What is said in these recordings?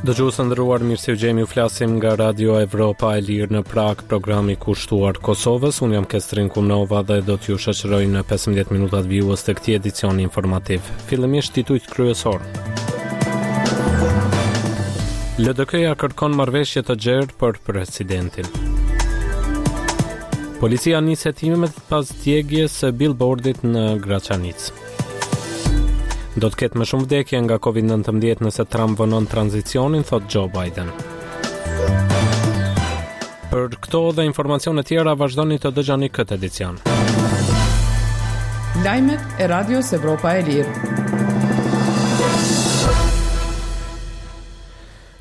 Dëgjues të nderuar, mirë se ju gjejmë, ju flasim nga Radio Evropa e Lirë në Pragë, programi kushtuar Kosovës. Unë jam Kestrin Kumnova dhe do t'ju shoqëroj në 15 minutat vijues të këtij edicioni informativ. Fillimisht titujt kryesorë. LDK-ja kërkon marrëveshje të gjerë për presidentin. Policia nis hetimet pas djegies së billboardit në Graçanicë. Do të ketë më shumë vdekje nga COVID-19 nëse Trump vonon tranzicionin, thotë Joe Biden. Për këto dhe informacione tjera vazhdoni të dëgjoni këtë edicion. Lajmet e Radios Evropa e Lirë.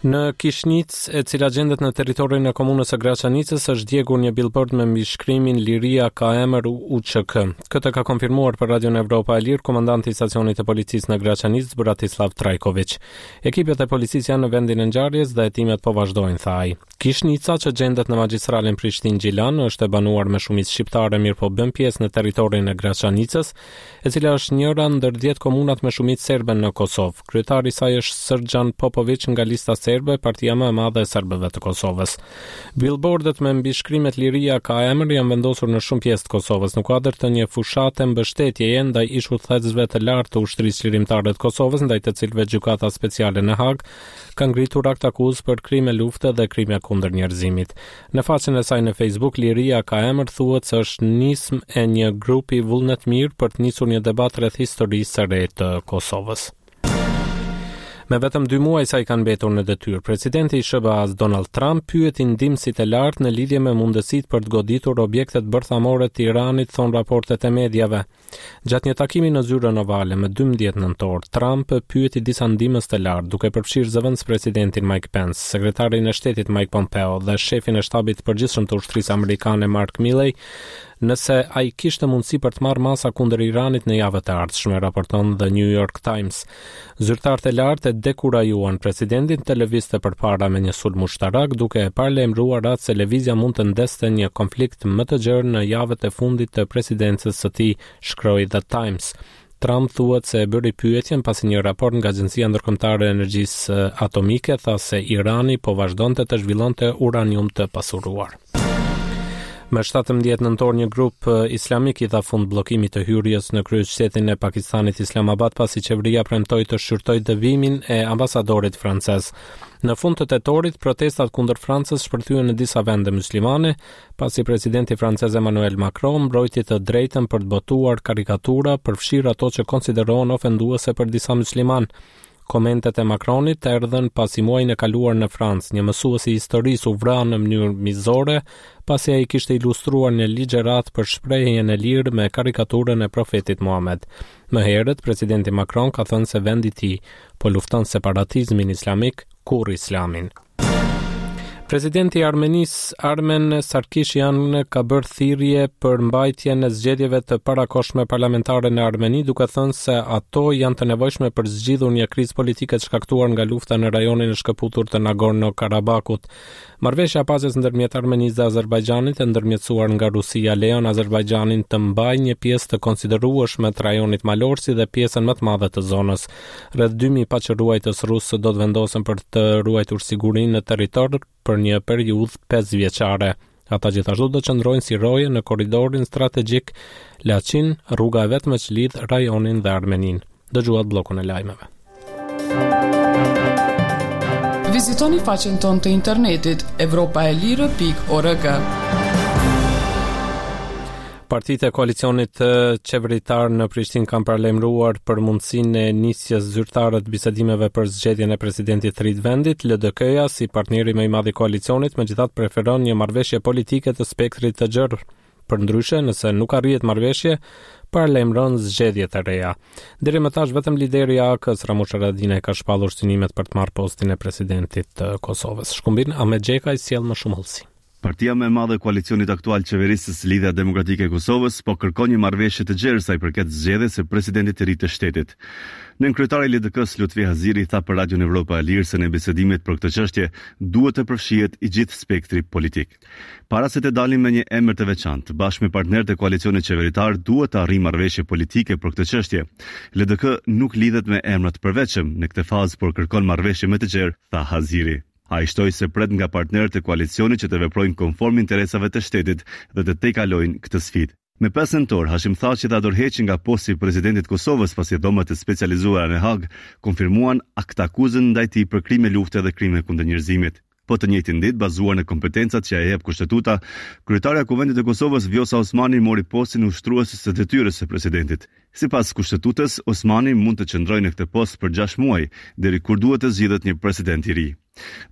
Në Kishnicë, e cila gjendet në territorin e komunës së Graçanicës, është djegur një billboard me mbishkrimin Liria ka emër UÇK. Këtë ka konfirmuar për Radion Evropa e Lirë komandanti i stacionit të policisë në Graçanicë, Bratislav Trajkoviq. Ekipet e policisë janë në vendin e ngjarjes dhe hetimet po vazhdojnë, tha ai. Kishnica, që gjendet në magjistralen Prishtinë-Gjilan, është e banuar me shumicë shqiptare, mirëpo bën pjesë në territorin e Graçanicës, e cila është njëra ndër 10 komunat me shumicë serbe në Kosovë. Kryetari i saj është Sërgjan Popoviq nga Lista Serbe, partia më e madhe e serbëve të Kosovës. Billboardet me mbishkrimet Liria ka emër janë vendosur në shumë pjesë të Kosovës në kuadër të një fushate mbështetjeje ndaj ish-udhëheqësve të lartë të Ushtrisë Çlirimtare të Kosovës, ndaj të cilëve Gjykata Speciale në Hagë ka ngritur aktakuzë për krime lufte dhe krime kundër njerëzimit. Në faqen e saj në Facebook, Liria ka emër thuhet se është nismë e një grupi vullnetmirë për të nisur një debat rreth historisë së re të Kosovës. Me vetëm dy muaj sa i kanë mbetur në detyrë, presidenti i SHBA-s Donald Trump pyeti ndihmësit e lartë në lidhje me mundësitë për të goditur objektet bërthamore të Iranit, thonë raportet e mediave. Gjatë një takimi në zyrën ovale më 12 nëntor, Trump pyeti disa ndihmës të lartë, duke përfshirë zëvendëspresidentin Mike Pence, sekretarin e shtetit Mike Pompeo dhe shefin e shtabit të përgjithshëm të ushtrisë amerikane Mark Milley, nëse ai kishte mundësi për të marrë masa kundër Iranit në javët e ardhshme, raporton The New York Times. Zyrtarët e lartë e dekurajuan presidentin të lëvizte përpara me një sulm ushtarak, duke e paralajmëruar atë se lëvizja mund të ndezte një konflikt më të gjerë në javët e fundit të presidencës së tij, shkroi The Times. Trump thuhet se e bëri pyetjen pasi një raport nga Agjencia Ndërkombëtare e Energjisë Atomike tha se Irani po vazhdonte të zhvillonte uranium të pasuruar. Më 17 nëntor një grup islamik i dha fund bllokimit të hyrjes në kryeqytetin e Pakistanit Islamabad pasi qeveria premtoi të shqyrtojë dëbimin e ambasadorit francez. Në fund të tetorit, protestat kundër Francës shpërthyen në disa vende muslimane, pasi presidenti francez Emmanuel Macron mbrojti të drejtën për të botuar karikatura, përfshirë ato që konsiderohen ofenduese për disa muslimanë. Komentet e Macronit erdhën pasi muajin e kaluar në Francë, një mësues i historisë u vra në mënyrë mizore, pasi ai kishte ilustruar një ligjëratë për shprehjen e lirë me karikaturën e profetit Muhamed. Më herët, presidenti Macron ka thënë se vendi i tij po lufton separatizmin islamik, kurrë islamin. Presidenti i Armenisë, Armen Sarkisyan, ka bërë thirrje për mbajtjen e zgjedhjeve të parakohshme parlamentare në Armeni, duke thënë se ato janë të nevojshme për të zgjidhur një krizë politike të shkaktuar nga lufta në rajonin e shkëputur të Nagorno-Karabakut. Marrëveshja e paqes ndërmjet Armenisë dhe Azerbajxhanit e ndërmjetësuar nga Rusia lejon Azerbajxhanin të mbajë një pjesë të konsiderueshme të rajonit malor si dhe pjesën më të madhe të zonës. Rreth 2000 paqeruajtës rusë do të vendosen për të ruajtur sigurinë në territor për një periudhë 5 vjeçare. Ata gjithashtu do të qëndrojnë si roje në korridorin strategjik Laçin, rruga e vetme që lidh rajonin dhe Armeninë. Dëgjuat bllokun e lajmeve. Vizitoni faqen tonë të internetit evropaelire.org. Partitë e koalicionit qeveritar në Prishtinë kanë paralajmëruar për mundësinë e nisjes zyrtare të bisedimeve për zgjedhjen e presidentit të ri të vendit. LDK-ja, si partneri më i madh i koalicionit, megjithatë preferon një marrëveshje politike të spektrit të gjerë. Përndryshe, nëse nuk arrihet marrëveshje, paralajmëron zgjedhje të reja. Deri më tash vetëm lideri i AAK-së Ramush Haradinaj ka shpallur synimet për të marrë postin e presidentit të Kosovës. Shkumbin Ahmetxhekaj sjell më shumë hollësi. Partia më e madhe e koalicionit aktual qeverisës, Lidhja Demokratike e Kosovës, po kërkon një marrëveshje të gjerë sa i përket zgjedhjes së presidentit të ri të shtetit. Nënkryetari i LDK-së, Lutfi Haziri, tha për Radion Evropa e Lirë se në bisedimet për këtë çështje duhet të përfshihet i gjithë spektri politik. Para se të dalim me një emër të veçantë, bashkë me partnerët e koalicionit qeveritar duhet të arrijmë marrëveshje politike për këtë çështje. LDK nuk lidhet me emra të përveçëm në këtë fazë, por kërkon marrëveshje më të gjerë, tha Haziri. Ai shtoi se pret nga partnerët e koalicionit që të veprojnë konform interesave të shtetit dhe të tejkalojnë këtë sfidë. Me 5 nëntor, Hashim Thaçi dha dorëheqjen nga posti i presidentit të Kosovës pasi dhomat e specializuara në Hagë konfirmuan aktakuzën ndaj tij për krime lufte dhe krime kundër njerëzimit. Po të njëjtën ditë, bazuar në kompetencat që ia jep Kushtetuta, kryetarja e Kuvendit të Kosovës, Vjosa Osmani mori postin e ushtrueses së detyrës së presidentit. Sipas Kushtetutës, Osmani mund të qëndrojë në këtë post për gjashtë muaj, deri kur duhet të zgjidhet një president i ri.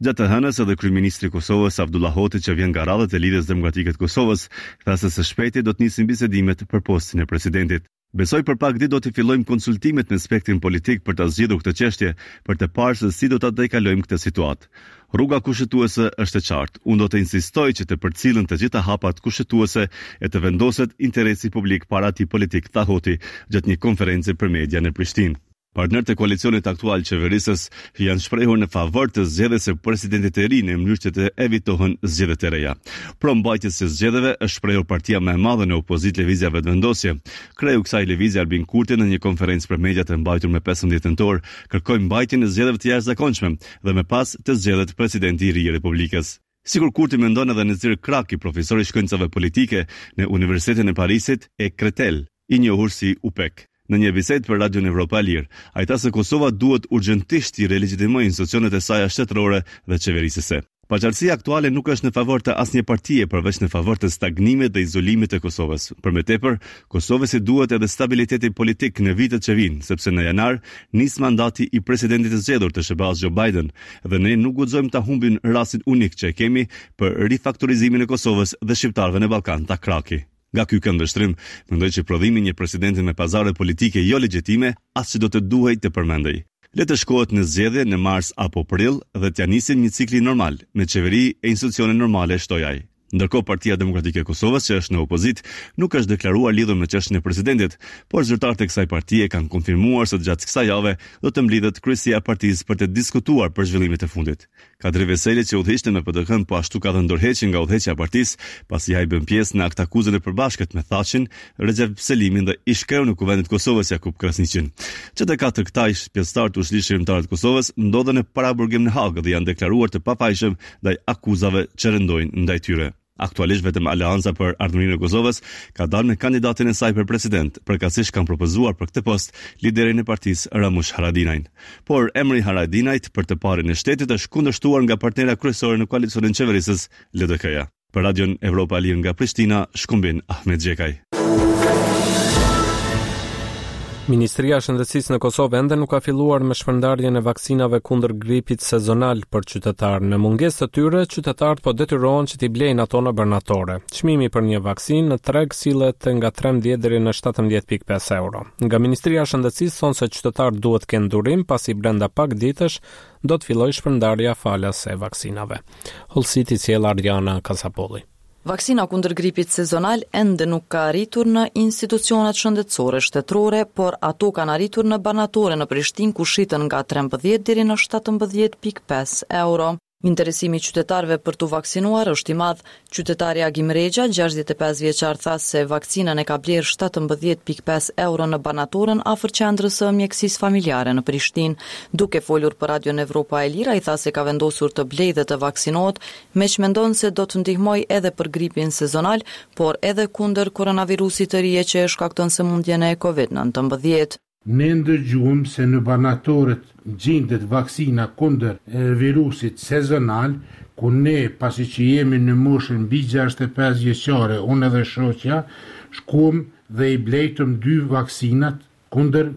Gjatë të hënës, edhe kryeministri i Kosovës, Avdullah Hoti që vjen nga radhët e Lidhjes Demokratike të Kosovës, tha se së shpejti do të nisin bisedimet për postin e presidentit. Besoj për pak ditë do t'i fillojmë konsultimet me spektrin politik për ta zgjidhur këtë çështje, për të parë se si do ta tejkalojmë këtë situatë. Rruga kushtetuese është e qartë. Unë do të insistoj që të përcillen të gjitha hapat kushtetuese e të vendoset interesi publik para atij politik, tha Hoti gjatë një konference për media në Prishtinë. Partnerët e koalicionit aktual qeverisës janë shprehur në favor të zgjedhjes së presidentit të ri në mënyrë që të evitohen zgjedhjet e reja. Pro mbajtjes së zgjedhjeve është shprehur partia më e madhe në opozitë Lëvizja Vetëvendosje. Kreu i kësaj lëvizje Albin Kurti në një konferencë për mediat e mbajtur më 15 nëntor kërkoi mbajtjen e zgjedhjeve të jashtëzakonshme dhe më pas të zgjedhet presidenti i ri i Republikës. Sikur Kurti mendon edhe Nezir Kraki, profesor i shkencave politike në Universitetin e Parisit e Créteil, i njohur si UPEK. Në një bisedë për Radion Evropa e Lirë, ai tha se Kosova duhet urgjentisht t'i relegjitimojë institucionet e saja shtetërore dhe qeverisëse. Paqartësia aktuale nuk është në favor të asnjë partie përveç në favor të stagnimit dhe izolimit të Kosovës. Për më tepër, Kosovës i duhet edhe stabiliteti politik në vitet që vijnë, sepse në janar nis mandati i presidentit të zgjedhur të SHBA-së Joe Biden dhe ne nuk guxojmë ta humbim rastin unik që e kemi për rifaktorizimin e Kosovës dhe shqiptarëve në Ballkan, tha Kraki. Nga ky këndvështrim, mendoj që prodhimi i një presidenti me pazare politike jo legjitime as që do të duhej të përmendej. Le të shkohet në zgjedhje në mars apo prill dhe t'ia nisim një cikli normal, me qeveri e institucione normale, shtoi ai. Ndërkohë Partia Demokratike e Kosovës, që është në opozitë, nuk është deklaruar lidhur me çështjen e presidentit, por zyrtarët e kësaj partie kanë konfirmuar se gjatë kësaj jave do të mblidhet kryesia e partisë për të diskutuar për zhvillimet e fundit. Kadri Veseli që udhëhiqte me PDK-në po ashtu ka dhënë dorëheqjen nga udhëheqja e partisë, pasi ai bën pjesë në aktakuzën e përbashkët me Thaçin, Rexhep Selimin dhe ish-kreun e Kuvendit të Kosovës Jakup Krasniqin. Që të katër këta ish pjesëtarë të Ushtrisë Çlirimtare të Kosovës ndodhen në paraburgim në Hagë dhe janë deklaruar të pafajshëm ndaj akuzave që rëndojnë ndaj tyre. Aktualisht vetëm Aleanca për Ardhmërinë e Kosovës ka dalë me kandidatin e saj për president, përkatësisht kanë propozuar për këtë post liderin e partisë Ramush Haradinajn. Por emri i Haradinajt për të parin e shtetit është kundërshtuar nga partnerja kryesore në koalicionin qeverisës, LDK-ja. Për Radion Evropa e Lirë nga Prishtina, Shkumbin Ahmetxhekaj. Ministria e Shëndetësisë në Kosovë ende nuk ka filluar me shpërndarjen e vaksinave kundër gripit sezonal për qytetarë. Në mungesë të tyre, qytetarët po detyrohen që t'i blejnë ato në barnatore. Çmimi për një vaksinë në treg sillet nga 13 deri në 17.5 euro. Nga Ministria e Shëndetësisë thonë se qytetarët duhet të kenë durim pasi brenda pak ditësh do të fillojë shpërndarja falas e vaksinave. Hollësitë i sjell Arjana Kasapolli. Vaksina kundër gripit sezonal ende nuk ka arritur në institucionet shëndetësore shtetërore, por ato kanë arritur në barnatore në Prishtinë ku shiten nga 13 deri në 17.5 euro. Interesimi i qytetarëve për t'u vaksinuar është i madh. Qytetari Agim Rexha, 65 vjeçar tha se vaksinën e ka blerë 17.5 euro në barnatoren afër qendrës së mjekësisë familjare në Prishtinë. Duke folur për Radion Evropa e Lirë, ai tha se ka vendosur të blejë dhe të vaksinohet meqë mendon se do të ndihmojë edhe për gripin sezonal, por edhe kundër koronavirusit të ri e që e shkakton sëmundjen e Covid 19. Ne ndëgjuam se në barnatoret gjindet vaksina kundër virusit sezonal, ku ne pasi që jemi në moshën mbi 65 vjeçare, unë edhe shoqja, shkuam dhe i blejtëm dy vaksinat kundër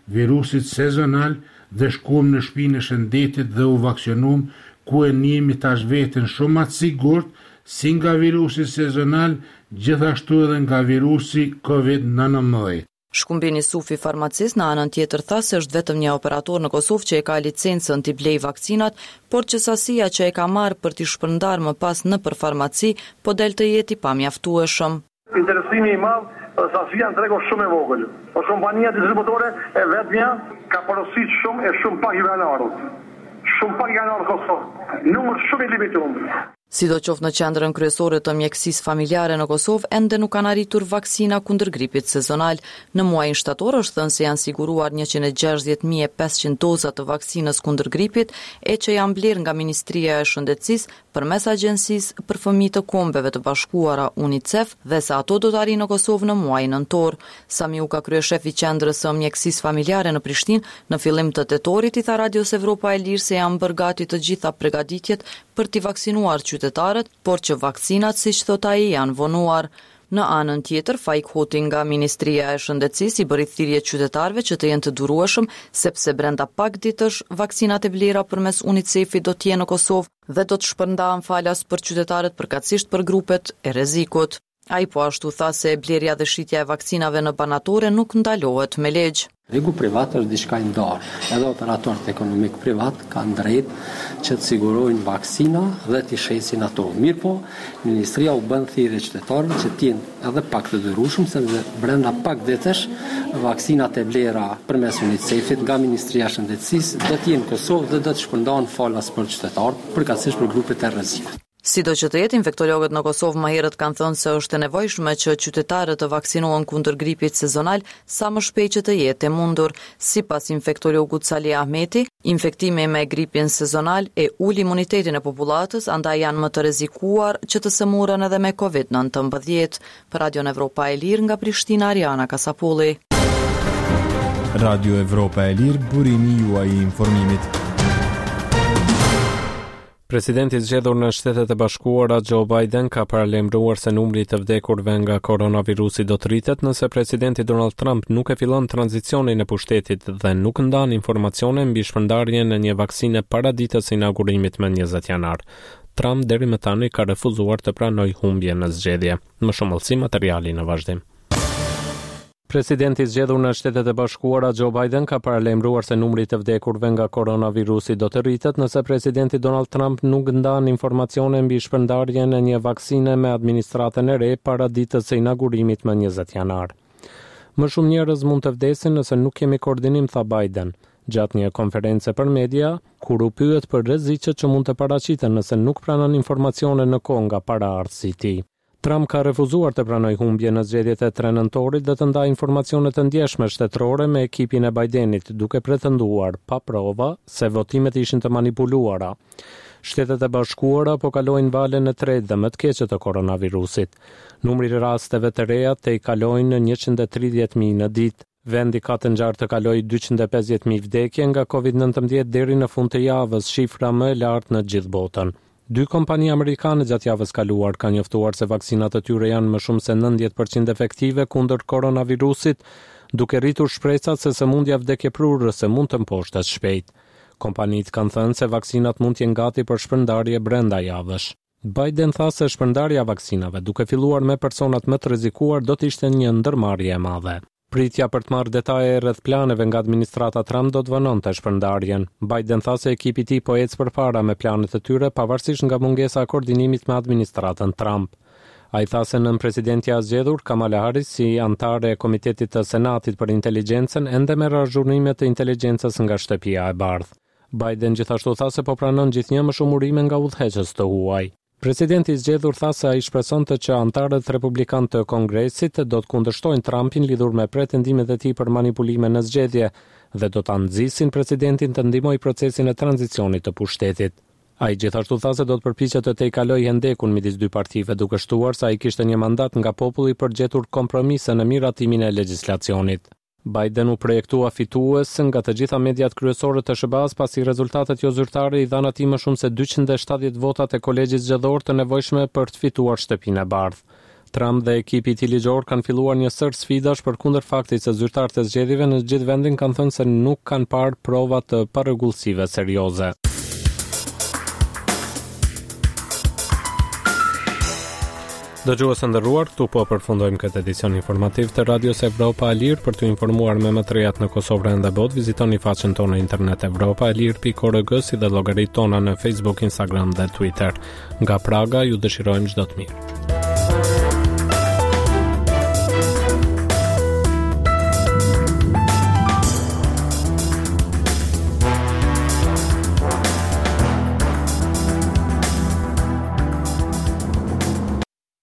virusit sezonal dhe shkuam në shpinë e shëndetit dhe u vaksionum ku e ndjemi tash veten shumë ma të sigurt si nga virusi sezonal gjithashtu edhe nga virusi Covid 19. Shkumbin Isufi, farmacist, në anën tjetër tha se është vetëm një operator në Kosovë që e ka licencën t'i blejë vaksinat, por që sasia që e ka marrë për t'i shpërndarë më pas nëpër farmaci, po del të jetë i pamjaftueshëm. Interesimi i madh dhe sasia në treg është shumë e vogël. Është kompania distributore e vetmja ka porosit shumë e shumë pak ju kanë ardhur. Shumë pak i kanë ardhur në Kosovë. Numër shumë i limitum. Sidoqoftë në qendrën kryesore të mjekësisë familjare në Kosovë ende nuk kanë arritur vaksina kundër gripit sezonal. Në muajin shtator është thënë se janë siguruar 160.500 doza të vaksinës kundër gripit e që janë blerë nga Ministria e Shëndetësisë përmes Agjencisë për Fëmijë të Kombeve të Bashkuara, UNICEF, dhe se ato do të arrijnë në Kosovë në muajin nëntor. Sami Uka, kryeshef i Qendrës së Mjekësisë Familjare në Prishtinë, në fillim të tetorit i tha Radios Evropa e Lirë se janë bërë gati të gjitha pregaditjet për t'i vaksinuar qytetarët, por që vaksinat, siç thotë ai, janë vonuar. Në anën tjetër, Faik Hoti nga Ministria e Shëndetësisë i bëri thirrje qytetarëve që të jenë të durueshëm, sepse brenda pak ditësh vaksinat e blera përmes UNICEF-it do të jenë në Kosovë dhe do të shpërndahen falas për qytetarët përkatësisht për grupet e rrezikut. Ai po ashtu tha se blerja dhe shitja e vaksinave në barnatore nuk ndalohet me ligj. Tregu privat është diçka e ndarë. Edhe operatorët ekonomikë privat kanë drejtë që të sigurojnë vaksina dhe t'i shesin ato. Mirëpo, Ministria u bën thirrje qytetarëve që të jenë edhe pak të durueshëm, sepse brenda pak ditësh vaksinat e blera përmes UNICEF-it nga Ministria e Shëndetësisë do të jenë në Kosovë dhe do të shpërndahen falas për qytetarët, përkatësisht për grupet e rrezikut. Sido që të jetë, infektologët në Kosovë më herët kanë thënë se është e nevojshme që qytetarët të vaksinohen kundër gripit sezonal sa më shpejt që të jetë e mundur. Sipas infektologut Salih Ahmeti, infektimi me gripin sezonal e ul imunitetin e popullatës, andaj janë më të rrezikuar që të sëmuren edhe me Covid 19. Për Radion Evropa e Lirë nga Prishtina, Ariana Kasapolli. Radio Evropa e Lirë, burimi juaj i informimit. Presidenti i zgjedhur në Shtetet e Bashkuara, Joe Biden, ka paralajmëruar se numri i të vdekurve nga koronavirusi do të rritet nëse presidenti Donald Trump nuk e fillon tranzicionin e pushtetit dhe nuk ndan informacione mbi shpërndarjen e një vaksine para ditës së inaugurimit më 20 janar. Trump deri më tani ka refuzuar të pranojë humbjen në zgjedhje. Më shumë hollësi materiali në vazhdim. Presidenti i zgjedhur në Shtetet e Bashkuara, Joe Biden, ka paralajmëruar se numri i të vdekurve nga koronavirusi do të rritet nëse presidenti Donald Trump nuk ndan informacione mbi shpërndarjen e një vaksine me administratën e re para ditës së inaugurimit më 20 janar. Më shumë njerëz mund të vdesin nëse nuk kemi koordinim, tha Biden, gjatë një konference për media, kur u pyet për rreziqet që mund të paraqiten nëse nuk pranon informacione në kohë nga paraardhësi i tij. Trump ka refuzuar të pranojë humbjen në zgjedhjet e 3 nëntorit dhe të ndajë informacione të ndjeshme shtetërore me ekipin e Bidenit, duke pretenduar, pa prova, se votimet ishin të manipuluara. Shtetet e Bashkuara po kalojnë valën e tretë dhe më të keqe të koronavirusit. Numri i rasteve të reja tejkalojnë 130.000 në ditë. Vendi ka të ngjarë të kalojë 250.000 vdekje nga Covid-19 deri në fund të javës, shifra më e lartë në gjithë botën. Dy kompani amerikane gjatë javës kaluar kanë njoftuar se vaksinat e tyre janë më shumë se 90% efektive kundër koronavirusit, duke rritur shpresat se sëmundja vdekjeprurëse mund të mposhtet shpejt. Kompanitë kanë thënë se vaksinat mund të jenë gati për shpërndarje brenda javësh. Biden tha se shpërndarja e vaksinave, duke filluar me personat më të rrezikuar, do të ishte një ndërmarrje e madhe. Pritja për të marrë detaje rreth planeve nga administrata Trump do të vononte shpërndarjen. Biden tha se ekipi i tij po ecë përpara me planet e tyre, pavarësisht nga mungesa e koordinimit me administratën Trump. Ai tha se nënpresidentja e zgjedhur, Kamala Harris, si anëtare e Komitetit të Senatit për Inteligjencën, ende merr azhurnime të inteligjencës nga Shtëpia e Bardhë. Biden gjithashtu tha se po pranon gjithnjë më shumë urime nga udhëheqës të huaj. Presidenti i zgjedhur tha se ai shpresonte që anëtarët republikanë të Kongresit do të kundërshtojnë Trumpin lidhur me pretendimet e tij për manipulime në zgjedhje dhe do ta nxisin presidentin të ndihmojë procesin e tranzicionit të pushtetit. Ai gjithashtu tha se do të përpiqet të tejkalojë hendekun midis dy partive, duke shtuar se ai kishte një mandat nga populli për të gjetur kompromise në miratimin e legjislacionit. Biden u projektua fitues nga të gjitha mediat kryesore të SHBA-së pasi rezultatet jozyrtare i dhanë atij më shumë se 270 votat e kolegjit zgjedhor të nevojshme për të fituar Shtëpinë e Bardhë. Trump dhe ekipi i tij ligjor kanë filluar një sërë sfidash përkundër faktit se zyrtarët e zgjedhjeve në gjithë vendin kanë thënë se nuk kanë parë prova të parregullsive serioze. Dëgjues të nderuar, këtu po përfundojmë këtë edicion informativ të Radios Evropa e Lirë. Për t'u informuar me më të rejat në Kosovë rajon dhe botë, vizitoni faqen tonë në internet evropaelire.org si dhe llogaritë tona në Facebook, Instagram dhe Twitter. Nga Praga ju dëshirojmë çdo të mirë.